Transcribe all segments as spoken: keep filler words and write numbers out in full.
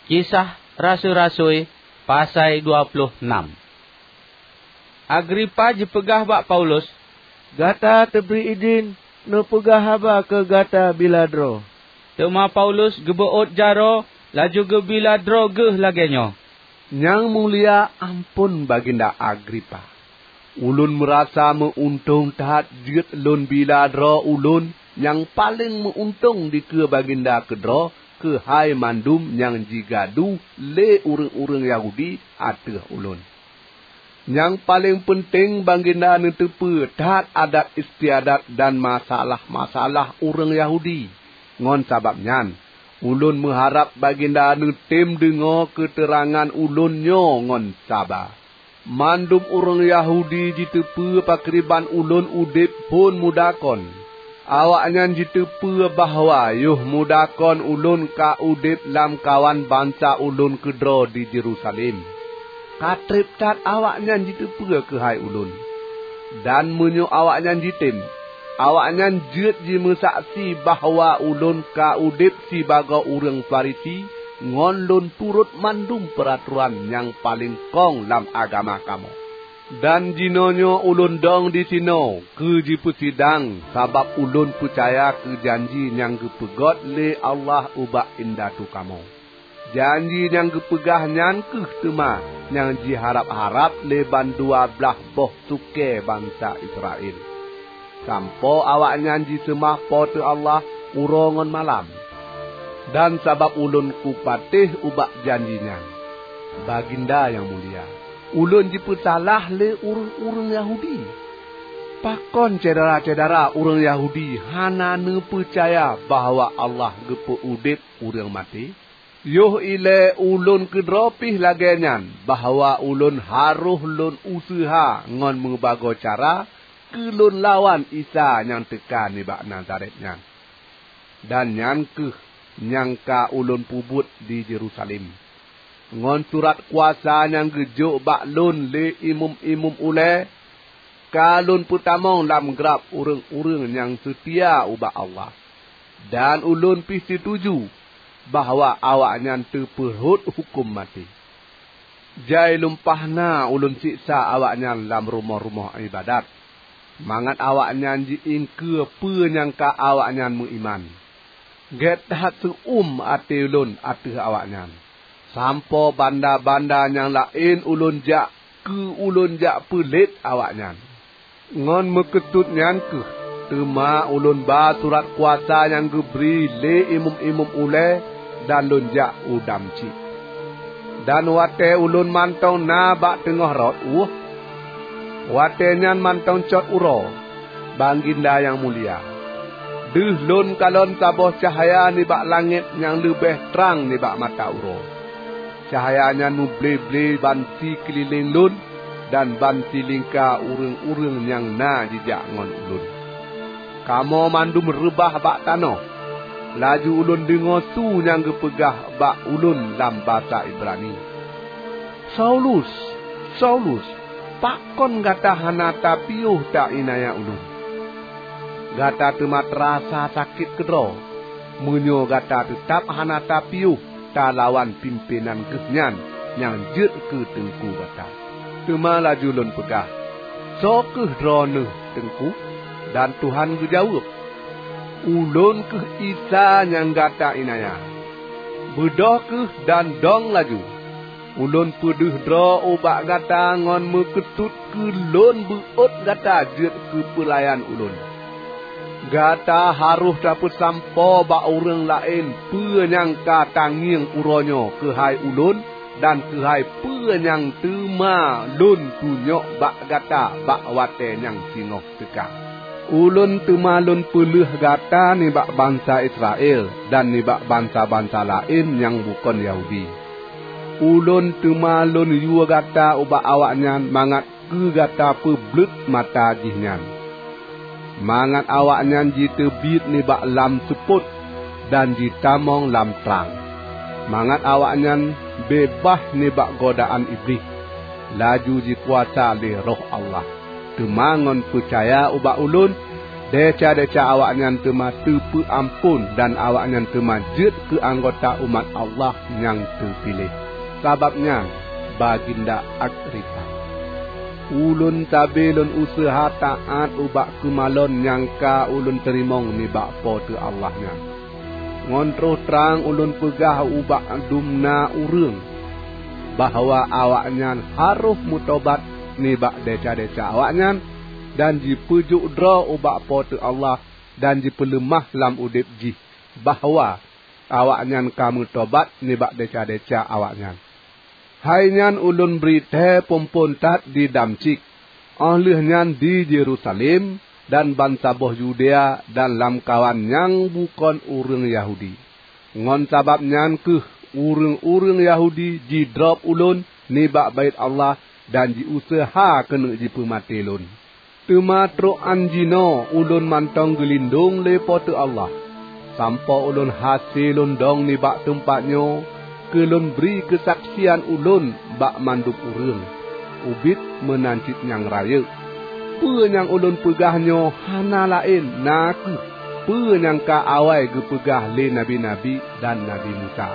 Kisah Rasui-rasui, pasai dua ploh nam. Agripa jipeugah bak Paulus, "Gata teubri idhin neupeugah haba keu gata bila droe." Teuma Paulus geubeuôt jaroe, laju geubila droe geuh lagée nyoe, "Nyang mulia, amphon Baginda Agripa! Ulôn meurasa meu-untông that jeuet lôn bila droe ulôn nyang paleng meu-untông dikeue Baginda keudroe keuhai mandum nyang jigadu lé ureuëng-ureuëng Yahudi ateueh ulôn. Nyang paleng peunteng, Baginda neuteupeue that adat istiadat dan masalah-masalah ureuëng Yahudi. Ngon sabab nyan, ulôn meuharab Baginda neutem deungoe keuteurangan ulôn nyoe ngon saba. Mandum ureuëng Yahudi jiteupeue pakriban ulôn udeb phon muda kon. Awaknyan jiteupeue bahwa yoh muda kon ulôn ka udeb lamkawan bansa ulôn keudroe di Yerusalem. Ka treb that awaknyan jiteupeue keuhai ulôn. Dan meunyoe awaknyan jitem, awaknyan jeuet jimeusaksi bahwa ulôn ka udeb sibagoe ureuëng Farisi ngon lôn turot mandum peuratoran nyang paleng kong lam agama kamoe. Dan jinoenyoe ulôn dong disinoe keu jipeusidang sabab ulôn peucaya keu janji nyang geupeugét lé Allah ubak indatu kamoe. Janji nyang geupeugah nyan kheueh teuma nyang jiharab-harab lé bandua blaih boh sukée bansa Israel, sampoe awaknyan jiseumah Po teu Allah uroe ngon malam. Dan sabab ulôn kupatéh ubak janji nyan, Baginda nyang mulia, ulôn jipeusalah lé ureuëng-ureuëng Yahudi. Pakon syedara-syedara ureuëng Yahudi hana neupeucaya bahwa Allah geupeu udeb ureuëng maté? Yoh ilée ulôn keudroe pih lagée nyan, bahwa ulôn harôh lôn useuha ngon meubagoe cara keu lôn lawan Isa nyang teuka nibak Nazaret nyan. Dan nyan kheueh nyang ka ulôn peubuet di Yerusalem. Ngon surat kuasa nyang geujok bak lôn lé imeum-imeum ulée, ka lôn peutamong lam grab ureuëng-ureuëng nyang seutia ubak Allah. Dan ulôn pih seutuju bahwa awaknyan teupeurhot huköm maté. Jai lumpah na ulôn siksa awaknyan lam rumoh-rumoh iébadat, mangat awaknyan ji-iengkeue peue nyang ka awaknyan meuiman. Gét that seu-uem até ulôn ateueh awaknyan, sampoe banda-banda nyang laén ulôn jak keu ulôn jak peulet awaknyan. Ngon meukeusut nyan kheueh teuma ulôn ba surat kuasa nyang geubri lé imeum-imeum ulée dan lôn jak u Damsyik. Dan watée ulôn mantong na bak teungoh rot ueh, watée nyan mantong cot uroe, Baginda nyang mulia, deuh lôn kalon saboh cahya nibak langét nyang leubeh trang nibak mata uroe. Cahya nyan muble-ble ban sikeulileng lôn dan ban silingka ureuëng-ureuëng nyang na jijak ngon ulôn. Kamoe mandum reubah bak tanoh. Laju ulôn deungoe su nyang geupeugah bak ulôn lam basa Ibrani, "Saulus, Saulus, pakon gata hana tapiôh ta-iénanya ulôn? Gata teuma teurasa sakét keudroe, meunyoe gata teutab hana tapiôh talawan pimpénan geuh nyan nyang jeuet keu teungku gata." Teuma laju lôn peugah, "Soe kheueh Droeneueh, Teungku?" Dan Tuhan geujaweueb, "Ulôn kheueh Isa nyang gata iénanya. Beudôh kheueh dan dong laju. Ulôn peudeuh droe ubak gata ngon meukeusut keu lôn beuôt gata jeuet keu peulayan ulôn. Gata harôh tapeusampoe bak ureuëng laén peue nyang ka tangieng uroe nyoe keuhai ulôn dan keuhai peue nyang teuma lôn tunyok bak gata bak watée nyang singoh teuka. Ulôn teuma lôn peuleueh gata nibak bansa Israel dan nibak bansa-bansa laén nyang bukon Yahudi. Ulôn teuma lôn yue gata ubak awaknyan mangat keu gata peubleuet mata jihnyan, mangat awaknyan jiteubiet nibak lam seupôt dan jitamong lam trang, mangat awaknyan beubaih nibak godaan Iblih, laju jikuasa lé Roh Allah. Teuma ngon peucaya ubak ulôn, Desya-desya awaknyan teuma teupeu amphon dan awaknyan teuma jeuet keu anggota umat Allah nyang teupiléh. Sabab nyan, Baginda Agripa, ulôn sabe lôn useuha taát ubak keumalon nyang ka ulôn teurimong nibak Po teu Allah nyan. Ngon troh trang ulôn peugah ubak dumna ureuëng bahwa awaknyan harôh meutobat nibak desya-desya awaknyan dan jipeujok droe ubak Po teu Allah dan jipeuleumah lam udeb jih, bahwa awaknyan ka meutobat nibak desya-desya awaknyan. Hai nyan ulôn bri thée phon-phon that di Damsyik, óh lheueh nyan di Yerusalem dan bansaboh Yudea dan lamkawan nyang bukon ureuëng Yahudi. Ngon sabab nyan kheueh ureuëng-ureuëng Yahudi jidrob ulôn nibak Baét Allah dan jiuseuha keuneuk jipeumaté lôn. Teuma trok án jinoe ulôn mantong geulindong lé Po teu Allah, sampoe ulôn hase lôn dong nibak teumpat nyoe keu lôn bri keusaksian ulôn bak mandum ureuëng, ubit meunan cit nyang rayeuk. Peue nyang ulôn peugah nyoe hana laén na kheueh peue nyang ka awai geupeugah lé nabi-nabi dan Nabi Musa,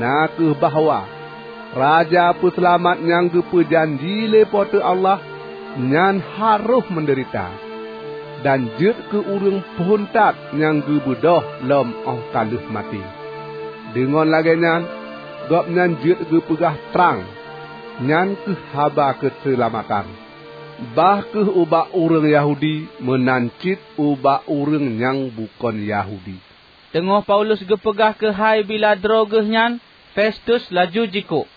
na kheueh bahwa Raja Peuseulamat nyang geupeujanji lé Po teu Allah nyan harôh meudeurita, dan jeuet keu ureuëng phon that nyang geubeudôh lom óh ka lheueh maté. Deungon lagée nyan, Gobnyan jeuet geupeugah trang, nyan kheueh haba keuseulamatan, bah kheueh ubak ureuëng Yahudi meunan cit ubak ureuëng nyang bukon Yahudi. Teungoh Paulus geupeugah keuhai bila droe geuh nyan, Festus laju jikuk,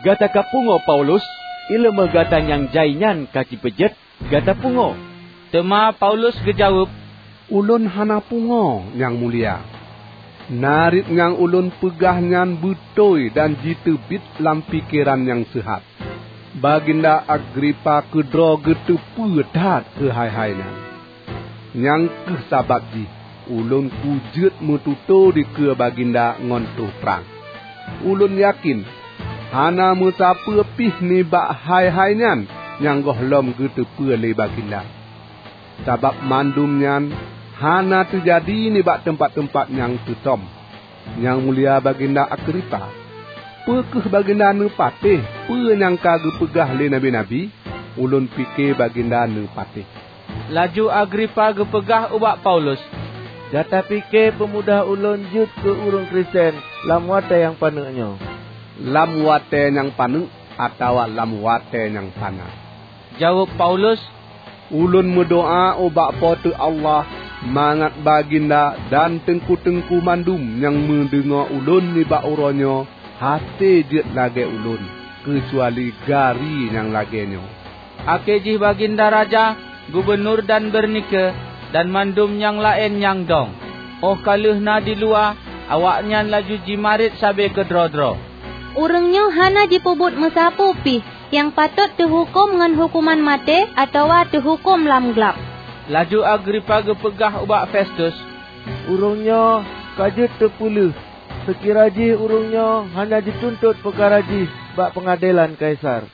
"Gata ka pungoe Paulus? Iéleumé gata nyang jai nyan ka jipeujeuet, gata pungoe!" Teuma Paulus geujaweueb, "Ulôn hana pungoe, Nyang Mulia. Narit nyang ulôn peugah nyan beutôi dan jiteubiet lam pikeran nyang seuhat. Baginda Agripa keudroe geuteupeue that keu hai-hai nyan. Nyang kheueh sabab jih ulôn kujeuet meututoe dikeue Baginda ngon troh trang. Ulôn yakén hana meusapeue pih nibak hai-hai nyan nyang gohlom geuteupeue lé Baginda. Sabab mandum nyan hana teujadi nibak teumpat-teumpat nyang teusom. Nyang Mulia Baginda Agripa, peu kheueh Baginda neupatéh peue nyang ka geupeugah lé nabi-nabi? Ulôn pike Baginda neupatéh." Laju Agripa geupeugah ubak Paulus, "Gata pike peumudah ulôn jeuet keu ureuëng Kristen lam watée nyang paneuk nyoe?" "Lam watée nyang paneuk atawa lam watée nyang panas?" jaweueb Paulus. "Ulôn meudoá ubak Po teu Allah mangat Baginda dan teungku-teungku mandum nyang meudeungoe ulôn nibak uroe nyoe hase jeuet lagée ulôn, keucuali gari nyang lagée nyoe." Akhé jih Baginda Raja, gubunur dan Bernike, dan mandum nyang laén nyang dong. Óh ka lheueh na di luwa, awaknyan laju jimarit sabe keudroe-droe, "Ureuëng nyoe hana jipeubuet meusapeue pih nyang patot teuhuköm ngon huköman maté atawa teuhuköm lam glab." Laju Agripa geupeugah ubak Festus, "Ureuëng nyoe ka jeuet teupeuleueh, seukira jih ureuëng nyoe hana jituntot peukara jih bak peungadelan Kaisar."